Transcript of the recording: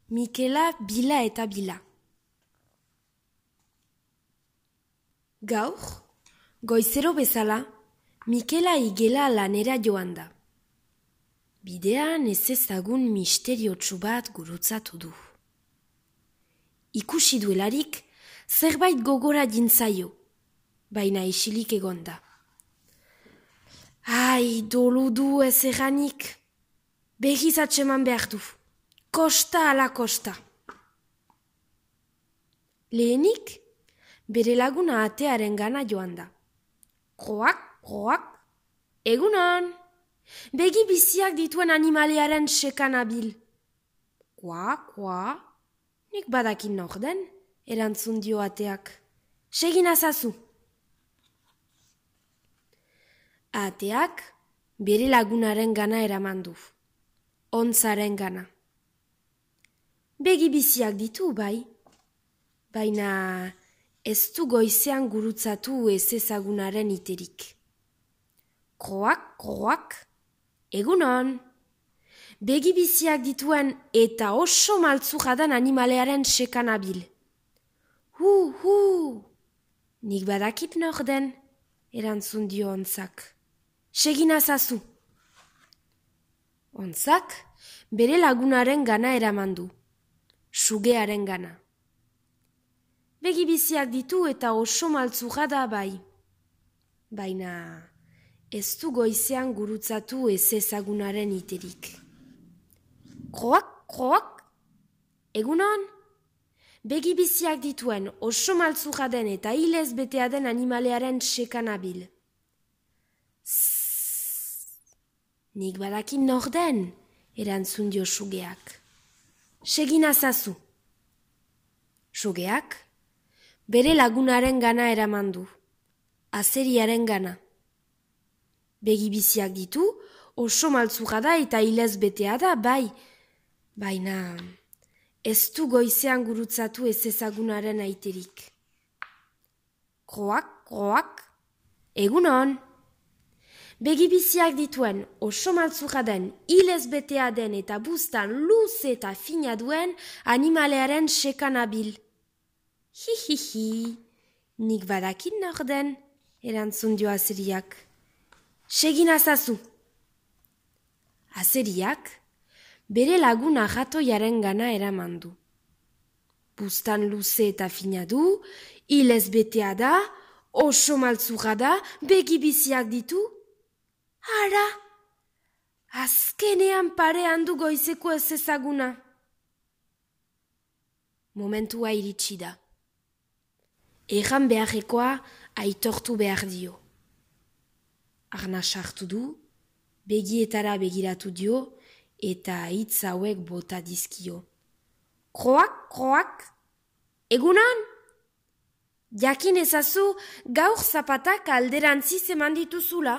Mikela bila eta bila. Gaur, goizero bezala, Mikela igela lanera joan da. Bidean ez ezagun misteriotsu bat gurutzatu du. Ikusi duelarik, zerbait gogora jintzaio, baina isilik egonda. Ai, dolu du ez eranik, begiz atseman behar du, kosta ala kosta. Lehenik, bere laguna atearen gana joan da. Kroak, kroak, egunon, begi biziak dituen animalearen sekan abil. Koa, koa, nik badakin nor den, erantzun dio ateak. Segin azazu. Ateak bere lagunaren gana eraman du. Ontzaren gana. Begi biziak ditu, bai. Baina ez du goizean gurutzatu ez ezagunaren iterik. Kroak, kroak, egunon. Begi biziak dituen eta oso maltzujadan animalearen sekan abil. Nik badakit nor den, erantzun dio ontzak. Segin azazu. Ontzak bere lagunaren gana eraman du. Sugearen gana. Begi biziak ditu eta oso maltzujada bai. Baina ez du goizean gurutzatu ez ezagunaren iterik. Kroak, kroak, egunon. Begi biziak dituen oso maltzujaden eta hilez betea den animalearen sekan abil. Nik badakin nor den, erantzun dio sugeak. Segin azazu. Sugeak bere lagunaren gana eraman du, azeriaren gana. Begi biziak ditu, oso maltzujada eta hilez betea da, bai. Baina ez du goizean gurutzatu ez ezagunaren aiterik. Kroak, kroak, egunon. Begi biziak dituen oso maltzujaden, hilez betea den eta buztan luze eta fina duen animalearen sekan abil. Hi, nik badakin nor den, erantzun dio azeriak. Segin azazu. Azeriak bere laguna jatoiaren gana eraman du. Buztan luze eta fina du, hilez betea da, oso maltzurra da, begi biziak ditu. Ara, azkenean parean du goizeko ez ezaguna. Momentua iritsi da. Erran beharrekoa aitortu behar dio. Arna sartu du, begietara begiratu dio, eta hitz hauek bota dizkio. Kroak, kroak, egunon? Jakin ezazu gaur zapatak alderantziz eman dituzula.